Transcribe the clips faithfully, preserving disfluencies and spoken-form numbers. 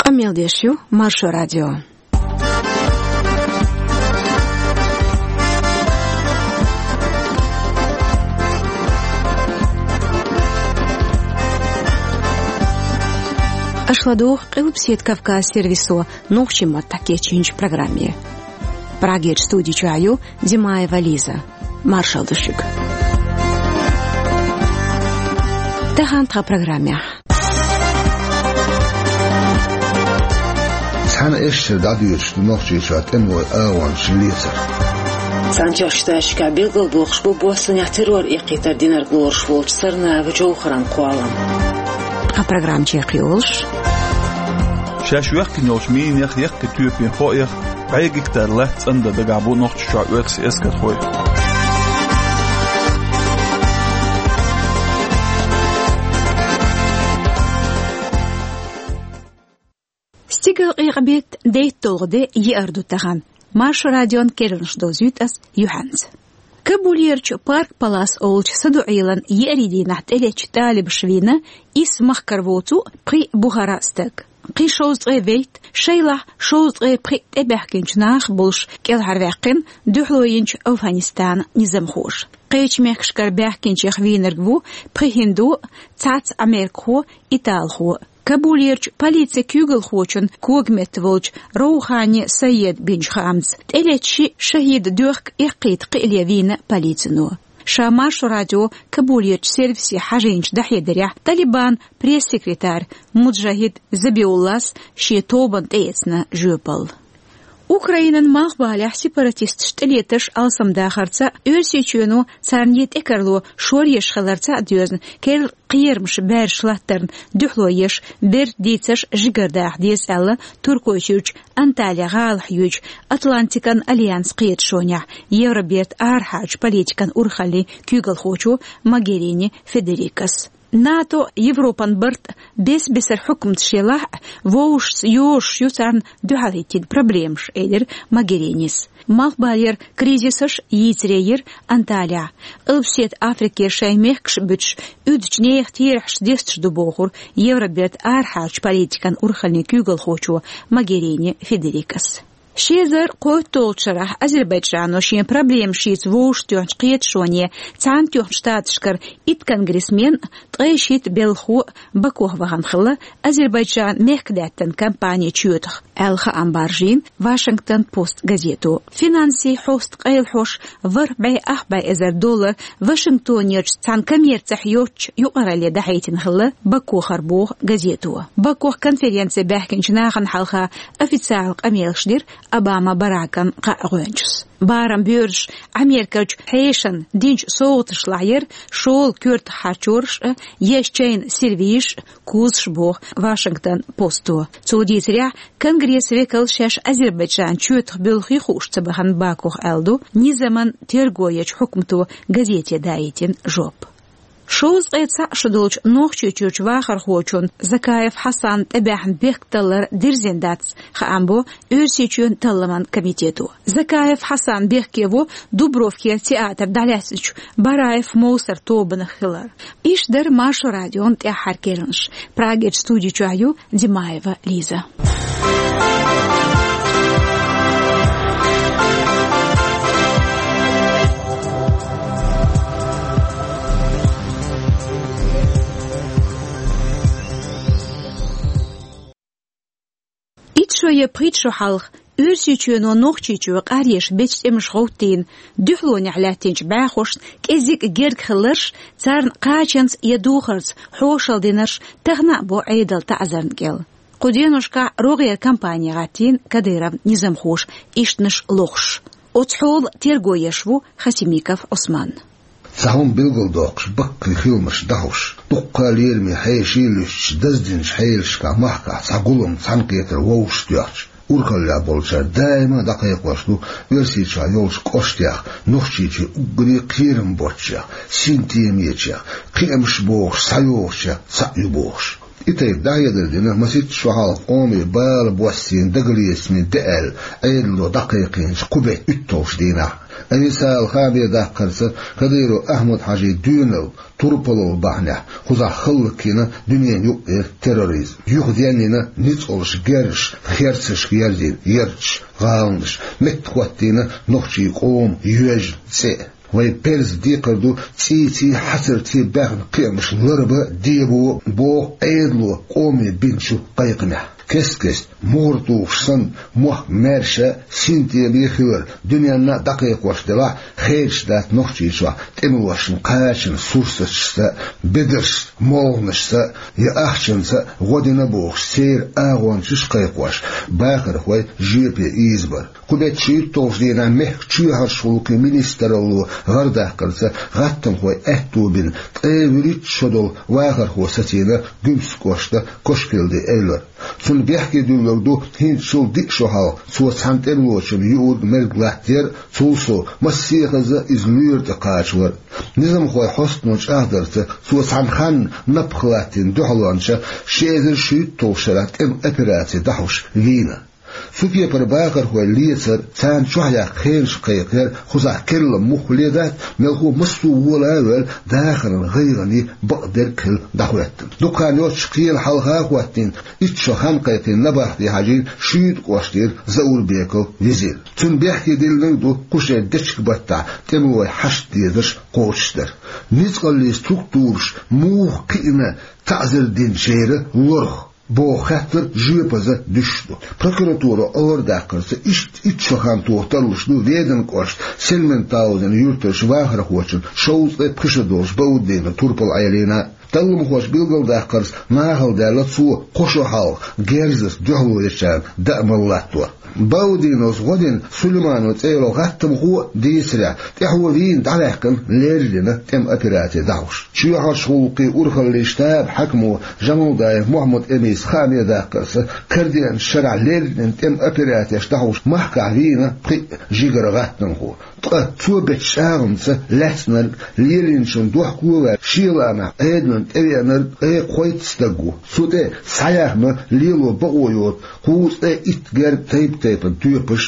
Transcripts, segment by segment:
Къамел деш ю Маршо радио. Аша ладугӀу Къилбаседа Кавказ сервисо нохчийн маттахь кечйинчу программе. Прагерчу студи чохь ю Димаева Лиза. Маршалла ду шуьга. Тахана тхан программехь. Цхьана эшшара дӀадоьдуш ду Нохчийчохь тӀемалойн агӀончаш лецар. Цхьаьнатоьхначу Штаташкахь билгалдоккхуш бу боссанехь террор эккхийтар динарг лоруш волчу Сарнаева Джовхаран кхоллам. Тхан программа чекхйолуш. Шаьш йоьхкина йолчу минех, яккхий тоьпийн хоах, бӀе гектар латта цӀандан дагахь бу Нохчийчохь оьрсийн эскархой. Стигалкъекъа-беттан дейтталгӀа де, еара ду тахана. Маршо радион керланаш довзуьйту ас юьхьанца. Кабулерчу Парк Палас олучу саду-Ӏелан еарин дийнахь тӀелеттачу талибаша вийна исс махкара воцу пхи бухара стаг. Кхин шовзткъе вейтта, шайлахь шовзткъе пхи тӀебаьхкинчу наха болуш кӀелхьарваьккхина дуьхьало йинчу Афганистанан низамхоша. Кхечу мехкашкара баьхкинчех вийнарг ву пхи хӀинду, цхьацца америкахо, италхо. Кабулерчу полицин куьйгалхочун когаметта волчу Роухани Саеда бинчу хаамца, тӀелетта ши шахӀидан доьхка эккхийта кхиале вийна полицино. Ша Маршо радио Кабулерчу сервисе хьажийначу дӀахьедарехь, Талибан пресс-секретарь Муджахид Забиуллас шен тобанна тӀеэцна жоьпалла. Украинан малхбалехь сепаратисташ тӀелетарш алсамдахарца, Оьрсийчоьно царна тӀекарло шоръеш хиларца а доьзна, керла кхерамаш баьржаш латтарна дуьхьало еш, берда дийцарш жигардаха деза аьлла, Туркойчуьрчу Анталия гӀалахь йоьдучу Атлантикан альянсан кхеташонехь Евробертан арахьарчу политикан урхаллин куьйгалхочо Могерини Федерикас. НАТО, Европан барт бес-бесара хьукматаш елахь а, вовшашца йозуш ю царна дуьхьал хӀиттийна проблемаш, элира Могеринис. Малхбалера кризисаш йийцаре йира Анталия. Къилбаседа Африкера шайн мехкаш буьтуш, уьдучу нехан терахьаш десташ ду бохура Евробертан арахьарчу политикан урхаллин куьйгалхочо Могерини Федерикас. Ши эзар кхойтталгӀачу шарахь Азербайджано шен проблемаш йийца вовшахтоьхначу кхеташоне Цхьаьнатоьхначу Штаташкара итт конгрессмен а, ткъе шийтта белхахо а Бакух вахана хилла Азербайджанан мехкадаьттан кампани чоьтах, аьлла хаам баржийна Вашингтон Пост газето. Финансийн хьоста къайлахьош ворхӀ бӀе ах бӀе эзар доллар Вашингтонерчу цхьана коммерцехь йоцучу юкъаралле дӀахьийтина хилла Бакухара, боху газето. Бакух конференце баьхкинчу нахана хьалха официалан къамелаш дира Обама Баракан кхаа гӀоьнчас. Барам боьрзуш Америкерчу хьешана динчу совгӀаташлахь яра шола коьртах харчораш а, еза чайна сервизаш а, кузаш, боху Вашингтон Посто. Цо дийцарехь, Конгрессан векалш шаьш Азербайджан чоьтах буьллу хи хууш ца бахана Бакух, аьлла ду низаман терго ечу хьукмато газете даийтина жоп. Шовзткъе цхьаъ шо долчу Нохчийчуьрчу вахархочун Закаев Хьасанан тӀебаьхьна бехк таллар дирзина дац, хаам бо Оьрсийчоьнан талламан комитето. Закаев Хьасан бехке во Дубровкера театр дӀалаьцначу Бараев Мовсар тобанах хилар. Иштта дара Маршо радион тӀаьххьара керланаш. Прагерчу студи чохь ю Димаева Лиза. Итт шо я пхийтта шо хьалха Оьрсийчоьно Нохчийчоь къаръеш бечу тӀемаша гӀовттийна дуьхьалонехь лаьттинчу бӀаьхошна кӀезиг а герга хилларш, царна кхачанца я духарца хьошалла динарш тахана а бо Ӏедалан таӀзарна кӀел. Кху деношкахь рогӀера кампани гӀаттийна Кадыровн низамхоша ишттанаш лохуш. Оцу хьолан терго еш ву Хасимиков Ӏусман. Цхьа хӀума билгалдоккхуш, баккхий хиламаш дӀахьош, дуккха а лераме хьеший а луьстуш, даздинчу хьелашкахь махкахь цхьа гулам, цхьаьнакхетар вовшахтоьхча, урхаллехь болчара даима а дӀакхайкхош ду Оьрсийчохь йолчу кӀоштех, Нохчийчоь уггаре а кхерам боцчех, синтемечех, кхиамаш бохуш схьайогӀучех цхьаъ ю бохуш. И тайпа дӀахьедар дина масийтта шо хьалха къоме бала боссийна дагалецамийн де аьлла, Ӏедало дӀакхайкхийначу кху беттан уьтталгӀачу дийнахь. Айсала хаамера даккхарца, Кадыров Ахьмад-Хьаьжин доьналла турпалалла бахьанехь кхузахь хӀаллакйина дуьненан юкъара терроризм. Юхаденна йина ницкъаллаш герзаш, херцашка ерзийна ярташ, гӀаланаш, меттахӀоттийна нохчийн къоман йоьжна цӀе. Вайн перза декхар ду цӀийци хьацарци баьхна кхиамаш ларбан, дебан, боху Ӏедало къоме бинчу кхайкхамехь. Кест-кеста, мухӀар тухуш санна, мохк маьрша, синтеме хилар дуьненна а дӀакхайкхош делахь, хедаш дац Нохчийчохь тӀемалошна кхачанан сурсаташца, бедаршца, молханашца я ахчанца гӀо дина бохуш, церан агӀончаш а кхайкхош, бахархой жоьпе ийзабар. Кху беттан шийтталгӀачу дийнахь мехкан чоьхьарчу гӀуллакхийн министралло гӀардаккхарца, гӀаттамхойн аьтто бина, ткъе вуьрхӀитта шо долу вахархо сацийна Гуьмсан кӀоштан Кошкилди Эвлара. Цунна бехке дуьллург ду хӀинцачул диъ шо хьалха цо цхьана тӀемалочунна юург-мерг латтаяр а, цул сов массехаза иза лоьра тӀе кхачалар а. Низамхойн хьостано чӀагӀдарца, цо цхьана ханна напха латтийна дуьхьалонча ши эзар шийтталгӀачу шарахь тӀеман операци дӀахьош вийна. Цу кепара бахархой лецар, царна чохь яккха хенаш кхайкхаяр кхузахь керланан муха ле дац, мелхо массо а вола а ваьлла, дахаран гӀайгӀане бакъдерг а хилла дӀахӀоьттина. Дукха хан йоццуш кхелан хьалха а хӀоттийна, итт шо хан кхайкхийна набахте хьажийна Шуьйта кӀоштара Заурбеков Визир. Цунна бехке диллинарг ду кху шеран дечиг-баттахь тӀемалой хьашт дезарш кхочушдар. Ницкъаллийн структураш муха кхиъна таӀзар динчеран лорах боху хаттар жоьпаза дуьсуш ду. Прокуратуро гӀардаккхарца, иштта итт шо хан тоха тарлуш ду Веданан кӀоштан Сельментаузен юьртарчу вахархочун шовзткъе пхи шо долчу Бауддинов турпал Ӏелийна. Талламхоша билгалдаккхарца, нахала даьлла цо кхо шо хьалха герзаца дуьхьало ечарна даа мала латтор. Баудиновс гӀо дина Сулейманов цӀе йолу гӀаттамхо а дийцарехь, тӀаьхьо вийна дӀаваьккхина леррина тӀеман операци дӀахьош. Чоьхьарчу гӀуллакхийн урхаллин штабан хьаькамо Жамалдаев Мухьаммад-Эмис хаамера даккхарца, карадеанчу шарахь леррина тӀеман операцеш дӀахьош махкахь вийна пхиъ жигара гӀаттамхо. Ткъа цо бечу чӀагӀамца лаьцнарг, лелийначунна дохко а ваьлла, шен лаамехь Ӏедална тӀевеанарг ткъе кхойтта стаг ву. Цу тӀе схьаяьхна лело бакъо йоцу кхузткъе итт герга тайп-тайпана тоьпаш,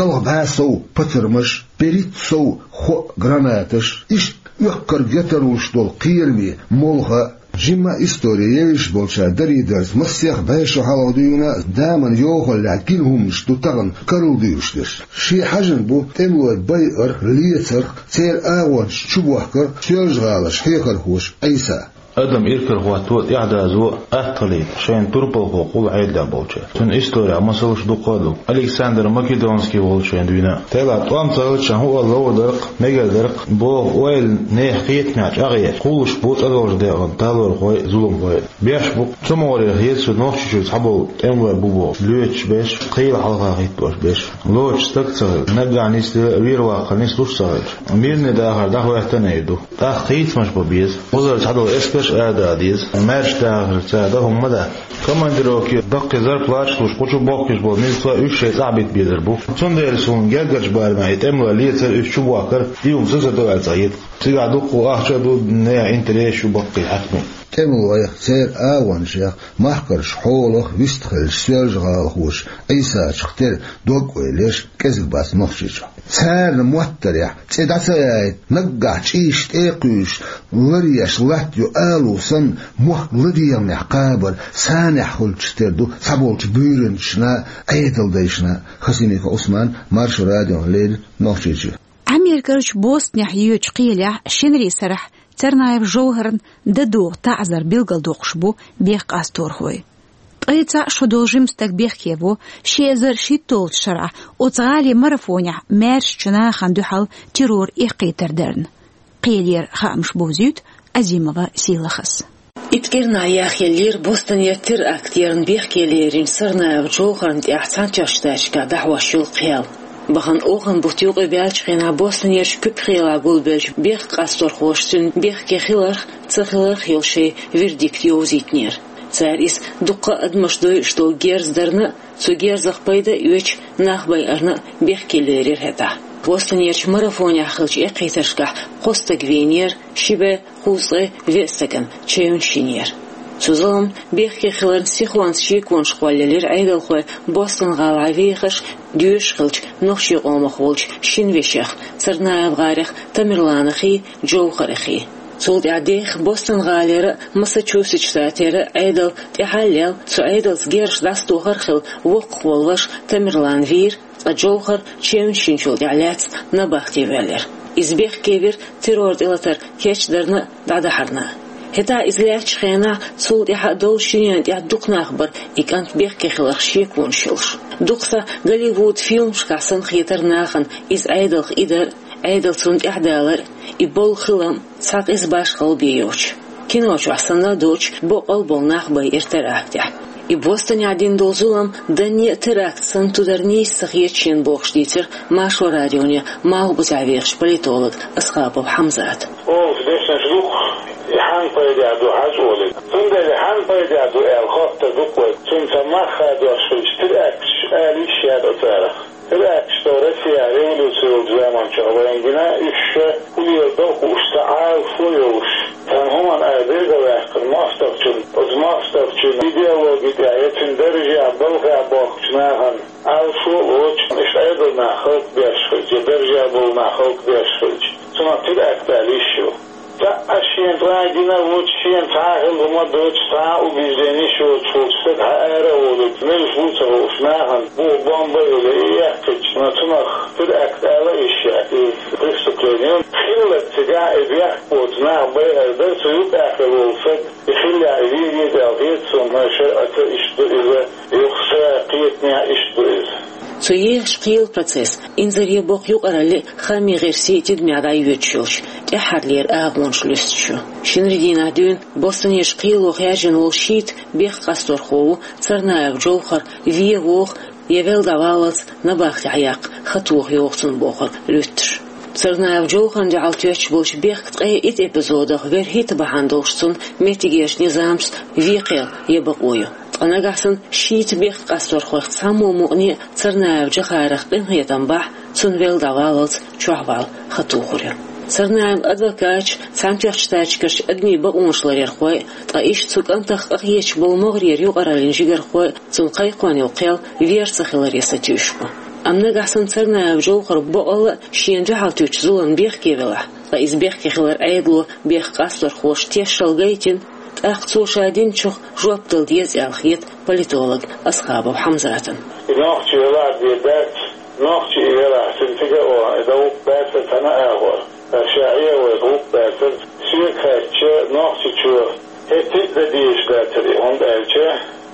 ялх бӀе сов патармаш, берхӀитта сов хоъ гранаташ, иштта оьхкарг я тарлуш долу кхераме молха а. Жимма истори евзаш болчара дарийдарца, массех бӀе шо хьалха дуьйна а, даман йохаллехь гина хӀуманаш ду тахана карладуьйлуш дерш. Шен хьаьжна бу тӀемалой байарх, лецарх, церан агӀончаш чубохкарх Соьлжа-ГӀаларчу хьехархоша Ӏийса. Адам иракарахӀотто а, тӀаьхьадазо а атта хилийта шайна турпалхо хилла Ӏедалехь болчара. Цуьнан исторехь масалш дуккха а ду. Александр Македонский волчу шайна дуьйна а. Тела тӀом ца хилча, хӀун олу ловр дара-кх, мегар дара-кх боху ойла нехан кхетамехь чӀагӀъеш, кхуллуш бу цӀа долчу декъана талорхой а, зуламхой а. Беш бу-кх, цу могӀарера хета суна Нохчийчуьра цхьаболу тӀемалой бу бохуш лоьцуш берш, кхелан хьалха хӀиттош берш. Лоцуш стаг ца хилча, наггахь нислуш, вер-ваккха нислуш ца хилча, мирный дахар дӀахӀоьттина а ду. ТӀаккха хийцамаш бан беза. Кхузара цхьадолу эскарш а ара даа деза. Маьрша дахар цара дан хӀума ма дац. Командировке баккхий зарплаташ луш, кху чу бохкуш болу милицой уьш шайн цӀахь бита безар бу. Цундела суна гергарчу барамехь и тӀемалой лецар, уьш чубохкар, и хӀума сацадо аьлла ца хета. Цигахь дуккха а ахча а ду, нехан интересаш а ю баккхий хьаькамийн. ТӀемалойх, церан агӀончех, махкарчу хьолах вистхиллачу соьлжа-гӀалахочу Ӏийсачух тера дог-ойла еш кӀезиг бац Нохчийчохь. Царна моттарехь, цӀе дӀа ца яйта, наггахь чӀийш тӀе а кхуьйсуш, ларъеш латта йо алу санна, мохк ладегӀамехь кхабар санехь хуьлучух тера ду цхьаболчу буьйранчашна а, Ӏедалдайшна а. Хасимиков Ӏусман, Маршо радиона леррина, Нохчийчуьра. Америкерчу Бостонехь йоьдучу кхелехь шинарин сарахь Царнаев Жовхарна дан догӀу таӀзар билгалдоккхуш бу бехккъасторхой. Ткъе цхьаъ шо долу жима стаг бехке во ши эзар шийтталгӀачу шарахь оцу гӀалин марафонехь маьршачу нахана дуьхьал террор эккхийтар дарна. Кхелера хаамаш бовзуьйту Азимова Сийлахьас. Итт кӀирнахь яхъеллера Бостонера теракт ярна бехке леринчу Царнаев Жовхарна тӀехь Цхьаьнатоьхначу Штаташкахь дӀахьош йолу кхел. Бахана оханан бутт юкъа баьллачу хенахь Бостонерчу Куьпа кхелахь гулбеллачу бехккъасторхоша цуьнан бехке хиларх а, ца хиларх а йолу шайн вердикт йовзийтинера. Цара иза дуккха а адамаш дойуш долу герз дарна а, цу герзах пайда а оьцуш, нах байарна а бехке лерира хӀетахь. Бостонерчу марафонехь хиллачу эккхийтаршкахь кхо стаг вийнера, ши бӀе кхузткъе веа стагана чевнаш йинера. Цу зуламна бехке хиларна сихонца шеконаш кхоллаелира Ӏедалхой Бостон-гӀалахьа вехаш, доьшуш хилча нохчийн къомах волчу шина вешех, Царнаев-гӀарах Тамерланахий, Джовхарахий. Цул тӀаьхьа деха Бостон-гӀалера а, Массачусетс штатера а Ӏедал тӀаьхьа а лелла, цу Ӏедалца герзаш дӀасатохар а хилла, воккхах волу ваша Тамерлан вийра, ткъа Джовхар чевнаш йинчул тӀаьхьа лаьцна набахте воьллира. Иза бехке вира террор тӀелатар кечдарна а, дӀадахьарна а. ХӀетахь иза лаьттачу хенахь цул тӀаьхьа долчу шинна тӀехь дукха нах бара и кӀант бехке хиларх шеконаш йолуш. Дукха сахь Голливуд фильмашкахь санна хетара нахана иза Ӏедалх идар а, Ӏедал цунна тӀаьхьадалар а, и болу хилам цхьа къиза башхалла бен йоцуш. Кино чохь санна а доцуш, боккъал болу нах байира терактехь. И Бостонехь дина долу зулам данне а теракт санна ту дар нийса ца хета шена бохуш дийцира Маршо радионе Малхбузехь вехачу политолога Асхабов Хьамзата. Оха дешнаш дукха, и хьанна пайда ду хьажа олий. Цундела хьанна пайда ду аьлла хоттар ду-кх вай. Цуьнан цхьа мах хадош хилча, теракташ ала йиш яц царах. Теракташ ду Россехь революци йолчу заманчохь вайна гина, уьш ша хӀун леладо хууш, цхьа Ӏалашо йолуш, цхьана хӀуманна ара берг а ваьккхина мостагӀчунна, оцу мостагӀчун идеологи тӀехь я цуьнан даржехь, балхехь бохкучу нахана Ӏалашо а лоцуш, уьш Ӏедалан нах хӀаллакбеш хилча, я даржехь болу нах хӀаллакбеш хилча, цунах теракт ала йиш ю. Цхьа а шена цкъа а гина а воцуш, шена цхьа а хилла хӀума доцуш, цхьа а убежденеш йоцуш волчу стага хьаара а волуьйтуш, муьлш ву а ца хууш, нахана бу бомба а йолий, и яьккхича, но цунах теракт ала а йиш яц, иза преступление ю. Хиллалц цигахь и бехк боцу нах байар дара, цу юкъахь хилла волу стаг, и хиллехь и вен веза аьлла хета суна, но шарӀаца иштта ду иза, юха сан кхетамехь иштта ду иза. Цу ехачу кхелан процесс, инзаре боккха юкъаралли а, хаамийн гӀирсийн тидамехь дӀайоьдуш йолчу тӀаьххьарлера агӀонаш луьстуш ю. Шинарин дийнахь дуьйна Бостонерчу кхело хаьржина волу шийтта бехк къасторхо ву Царнаев Джовхар, вен воха я велла дӀаваллалц набахтехь яккха хан тоха йогӀу цунна бохург луьттуш. Царнаев Джовхарна дуьхьал тоьттуш болчу бехкан ткъе итт эпизодах верхӀитта бахьана долуш цунна меттигерчу низамца вен кхел я бакъо ю. Ткъа нагахь санна шийтта бехк къасторхойх цхьаммо мукъане а Царнаев Джовхарах къинхетам бахь, цунна велла дӀаваллалц чохь вала хан тухур ю. Царнаевн адвокаташ, Цхьаьнатоьхначу Штаташкарчу адамийн бакъонаш ларъярхой, ткъа иштта цу кӀантах къахеташ болу могӀарера юкъараллин жигархой цунна кхайкхош йолу кхел вер ца хиларе сатуьйсуш бу. Амма нагахь санна Царнаев Джовхар бакъалла а шена дуьхьал туьйсучу зуламна бехке велахь, ткъа иза бехке хилар Ӏедало бехк къасторхоша тешшал гайтина, тӀаккха цо ша динчух жоп дала деза аьлла хета политолог Асхабов Хьамзатна. И нохчи велахь бен дац, нохчи и велахь, цуьнан цига а вахана, и дан гӀуллакх баьрцар цхьана а агӀор. Ша Ӏе вай гӀуллакх баьрцар, соьга хаьттича, нохчичо хӀетте а дан дезаш дацар и, хӀунда аьлча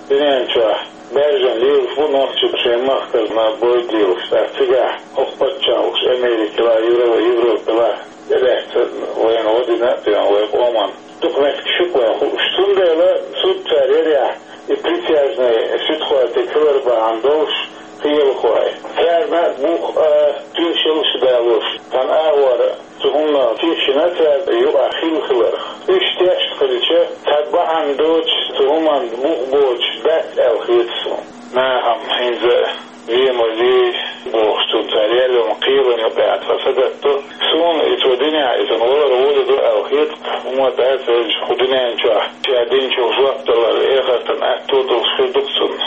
дуьнен чохь баьржина лелаш бу нохчий шайн махкара бойда лелаш, тӀаккха цигахь хӀокху паччахьалкхаш Америкала, Евро-, Европала тӀелаьцна вайна гӀо дина а доьгӀна вайн къоман. Дукха меттигаш ю-кх вайна хууш. Цундела суд цара ярехь, и присяжный суьдхой тӀе хилар бахьана долуш кхелахой. Царна бух а, тоьшаллаш а далош, цхьана агӀор цу хӀуманах тешна цара юкъахь хилла хиларх. Уьш тешна хилча, цхьа бахьана доцуш, цу хӀуманна бух боцуш дац аьлла хета суна. Нахана хӀинца вен ма вей бохуш, цунна цара яьлла йолу кхелан юкъахь тхан сагатдо. Суна и цо динехь, и цунна валар волуьйту аьлла хета, хӀума дац аьлча, кху дуьнен чохь ша динчух жоп далар эхартан аьтто долуш хир ду-кх цунна.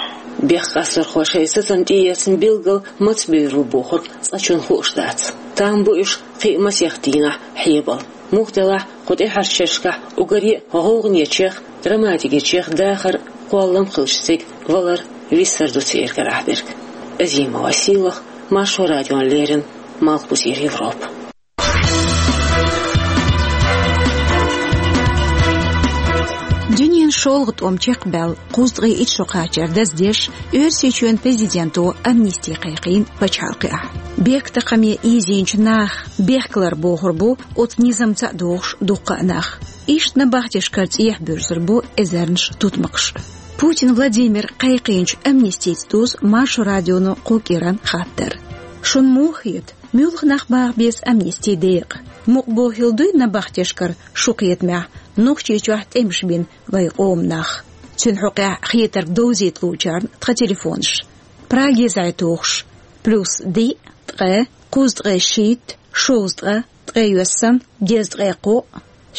Бехк къасторхой шайн сацам тӀеэцна билггал маца бевр бу бохург цкъачунна хууш дац. Там бу уьш кхин а масех дийнахь хьебала. Муха делахь, кху тӀаьхьарчу шерашкахь уггаре а гӀовгӀанечех, драматикечех дахар а, кхоллам а хилча цига валар а виссар ду церан карахь дерг. Азима Василах, Маршо радиона леррина, Малхбузера Европа. Дуьненан шолгӀа тӀом чекхбаьлла кхузткъе итт шо кхачар даздеш, Оьрсийчоьнан президенто амнисти кхайкхийна пачхьалкхехь. Бехктакхаме ийзийначу наха бехкалар бохур бу оцу низамца а догӀуш дуккха а нах. Иштта набахтешкара цӀехьа буьрсур бу эзарнаш тутмакхаш. Путин Владимира кхайкхийначу амнистица доьзна Маршо радионо кху кӀиран хаттар. Шуна муха хета, муьлха нах баха беза амнисти декъа? Мукъа бохийла дуй набахтешкара шун кхетамехь Нохчийчохь тӀемаш бина вайн къоман нах? Цуьнан хьокъехь хетарг довзийта луучарна тхан телефонаш. Праге зӀе тухуш: плюс диъ, ткъе, кхузткъе шийтта, шовзткъа, ткъе йоьссан, дезткъе кхоъ,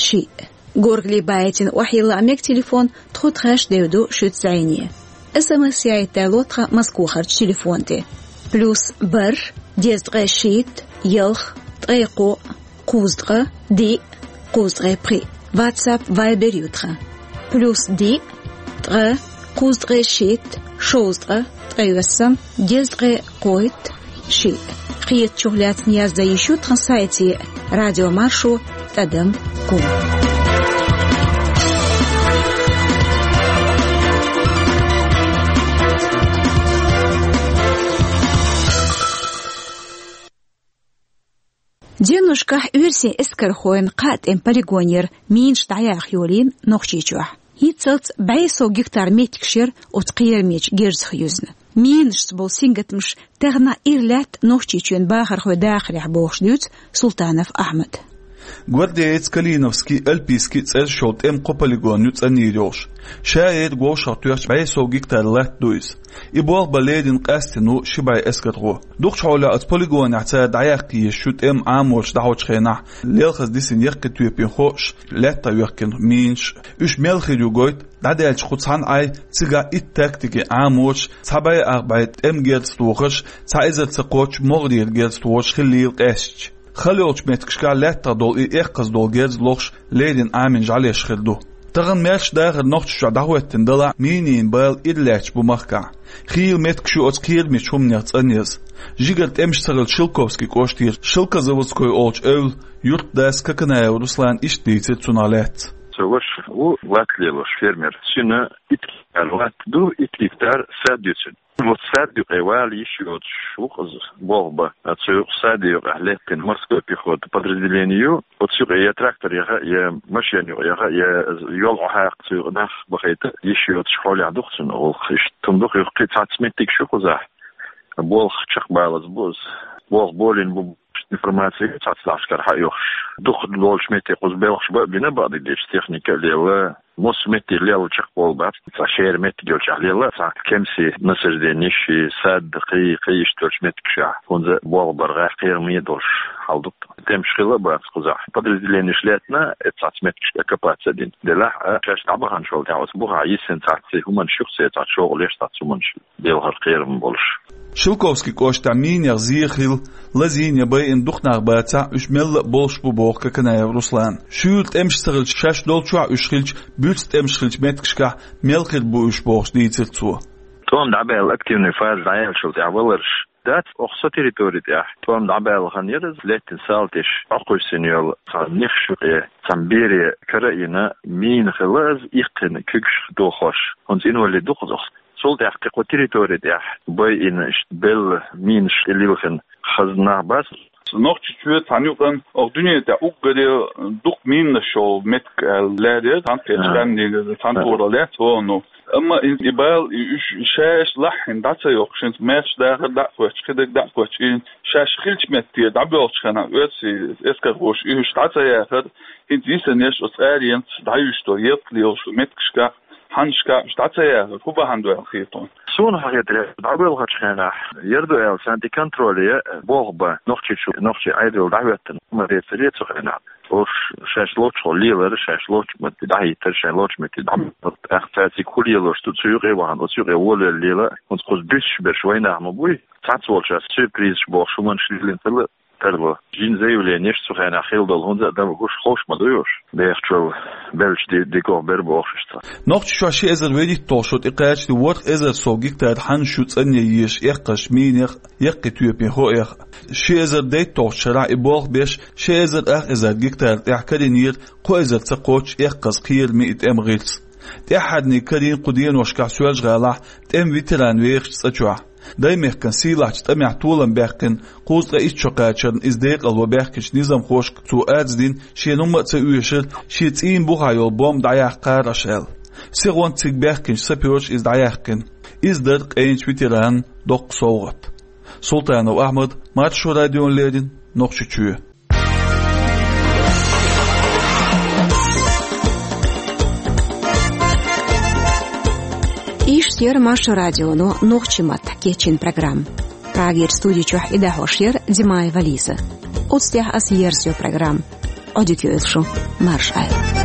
шиъ. Горгали баийтина охьайилла мега телефон тхо тхаьш девду шуьца зӀене. СМС яйта ло тхан Москвахарчу телефон тӀе. Плюс бархӀ, деза ткъе шийтта, ялх, ткъе кхоъ, кхузткъа, диъ, кхузткъе пхиъ. WhatsApp, Viber ю тхан. Плюс диъ, ткъа, кхузткъе шийтта, шовзткъа, ткъе ялх, деза ткъе кхойтта, шиъ. Кхетачух лаьцна яздан йиш ю тхан сайте радиомаршо тӀадам ком. Деношкахь оьрсийн эскархойн кхаа тӀеман полигонера минаш дӀаяха йолийна Нохчийчохь. ХӀинццалц бӀе сов гектар меттигаш яра оцу кхерамечу герзах юьзна. Минашца болу сингаттамаш тахана ира лаьтта Нохчийчоьнан бахархойн дахарехь бохуш дуьйцу Султанов Ахьмада. Гвардеец, Калиновский, Альпийский цӀераш йолу тӀеман кхо полигон ю цӀанйийр йолуш. Ша ерриг вовшахтоьхча бӀе сов гектар латта ду иза. И болх бан лерина къаьстина ву ши бӀе эскархо. Дукхачу хьолехь оцу полигонехь цара дӀаяккха езаш ю тӀеман Ӏаморш дӀахьочу хенахь лелхаза дисина яккхий тоьпийн хойш, лаьттах йоьхкина минаш. Уьш мел хир ю гойту, дӀадаьлча кху цхьана Ӏай цигахь итт тактикин Ӏаморш, цхьа бӀе ах бӀе тӀеман герз тохарш, цхьа эзар ца кхоччуш могӀарера герз тохарш хиллийла къаьстича. Хала йолчу меттигашкахь лаьттах долу и эккхаза долу герз лохуш леррина Ӏамийна жӀаьлеш хир ду. Тахана маьрша дахар Нохчийчохь дӀахӀоьттина далахь, минийн бала ира лаьтташ бу махкахь. Хийла меттигаш ю оцу кхерамечу хӀуманех цӀанъяза. Жигара тӀемаш ца хилча Шелковский кӀоштера Шелкозаводской олучу эвла юьртдас Коканаев Руслана иштта дийцира цунах лаьцна. Со ваша ву латта лелош, фермер. Шена итт гектар латта ду, итт гектар сад ю цуьнан. Вот сад юкъе вала йиш йоцуш ву-кх иза болх бан. Оцу юкъа, саде юкъахь лаьттина морской пехота подразделение ю. Оцу юкъе я трактор яха, я машен юкъа яха, я йол Ӏохьакха цу юкъа нах бахийта йиш йоцуш хьолехь ду-кх цуьнан гӀуллакх. Иштта хӀума ду-кх, юха кхин цхьацца меттигаш ю кхузахь. Болх чекхбалаза бу иза. Болх болийна бу. Информаци цхьацца дашкара хьаоьхуш. Дукха долчу метте кхуза белхаш бан а бина, бакъдерг дийцича, техника а лела, массо а метте лела чекхболу бац, цхьа шера меттиг йолчохь лела, цхьа кемсийн насажденеш, сад, кхин, кхин иштта йолчу меттигашкахь, хӀунда болх бар гӀайгӀа, кхераме а долуш хьал ду-кх. ТӀемаш хилла а бац кхузахь. Подразделенеш лаьцна, э, цхьацца меттигашка оккупаци а дина. Делахь а, шаьш дӀабаханчул тӀаьхьа оцу бухахь йисина цхьацца хӀуманаш ю-кх, цхьацца шогӀа леш, цхьацца хӀуманаш. Белхар кхерам болуш. Шелковский кӀоштахь минех зен хилла, лазийна я байина дукха нах бацахь, уьш мелла а болуш бу, боху Коканаев Руслана. Шуьйра тӀемаш ца хилча, шаьш долчохь уьш хилча, буьрса тӀемаш хилчу меттигашкахь мел хир бу уьш, бохуш дийцира цо. ТӀом дӀабаьлла, активный фаза дӀаяьллачул тӀаьхьа валарш дац, оха со территори тӀехь тӀом дӀабаьлла хан яра иза, лаьттина салтиш, Ӏокхуьссина йолу цхьа нехаш юкъе, цхьана бере кара а йина, мина хилла иза, иккхина куьгаш дохош, хӀунца инвалид ду-кх иза оха. Цул тӀаьхьа кхин кху территори тӀехь байина, иштта белла, минаш тӀе лилхина хазна нах бац. Нохчийчоь цхьана юкъана оха дуьне тӀехь уггаре дукха минаш йолу меттиг аьлла лаьрра яра, цхьана кхечу къаьмнийн цхьана тӀера лаьцна вогӀу. Амма и, и бала, и уьш шаьш лаххьина дӀа ца йоккхуш, хӀинца маьрша дахар дӀа а хоьттуш, кхидерг дӀа а хоьттуш, и шаьш хилча метте дӀабоьлхучу хенахь оьрсийн эскархоша и уьш дӀа ца яхара, хӀинца йисина еш оцу аренца дӀаюьйш долу ялта лелаш меттигашкахь, хьаннашкахь уьш дӀа ца яхара, хӀун бахьана ду аьлла хета хьуна? Суна хетарехь, дӀабоьлхучу хенахь яра ду аьлла, царна тӀе контроле болх бан Нохчийчу, Нохчийн Ӏедал дӀахӀоьттина ма-дийццара цу хенахь. Уьш шаьш лоцуш лелара, шаьш лоцу метте дӀахӀиттара, шайн лоцу метте дӀа. ТӀаккха цаьрца кху лелош ду, цу юкъе вахана, оцу юкъе волавелла лела, хӀунца кхуза буьсуш берш вайнах ма буй. Цхьацца волчаьрца сюрпризаш бохуш хӀуманаш лелийна хилла тарло. Жин заявленеш цу хенахь хилла долу, хӀунда аьлча хӀуш ховш ма ду уьш. Бехачул беллачу ди-, дикох бер бохуш иштта. Нохчийчохь ши эзар вуьрхӀитталгӀа шо тӀекхачале ворхӀ эзар сов гектар хьаннаш ю цӀанъян езаш эккхазчу минех, яккхий тоьпийн хоэха. Ши эзар дейтталгӀачу шарахь и болх беш, ши эзар ах эзар гектар тӀехь карийнера кхо эзар ца кхоччуш эккхаза, кхераме и тӀеман гӀирс. ТӀаьххьарниг карийна кху деношкахь Соьлжа-ГӀалахь тӀеман ветеран вехачу цӀа чохь. Даймехкан сийлахьчу тӀамехь толам баьккхина, кхузткъе итт шо кхачарна иза декъалван баьхкинчу низамхошка цо арз дина, шена хӀумма а ца оьшура, шен цӀийнан бухахь йолу бомба дӀаяккха кхараш аьлла. Сихонца цига баьхкинчу сапёраша иза дӀаяьккхина. Иза дара къайначу ветеранна доккха совгӀат. Султанов Ахьмад, Маршо радиона леррина, Нохчийчоь. Иштта яра Маршо радионо нохчийн маттахь кечйина программа. Прагера студи чохь и дӀахьош яра Димаева Лиза. Оцу тӀехь аса ерзайо программа. Ӏодика йойла шу, марша Ӏойла.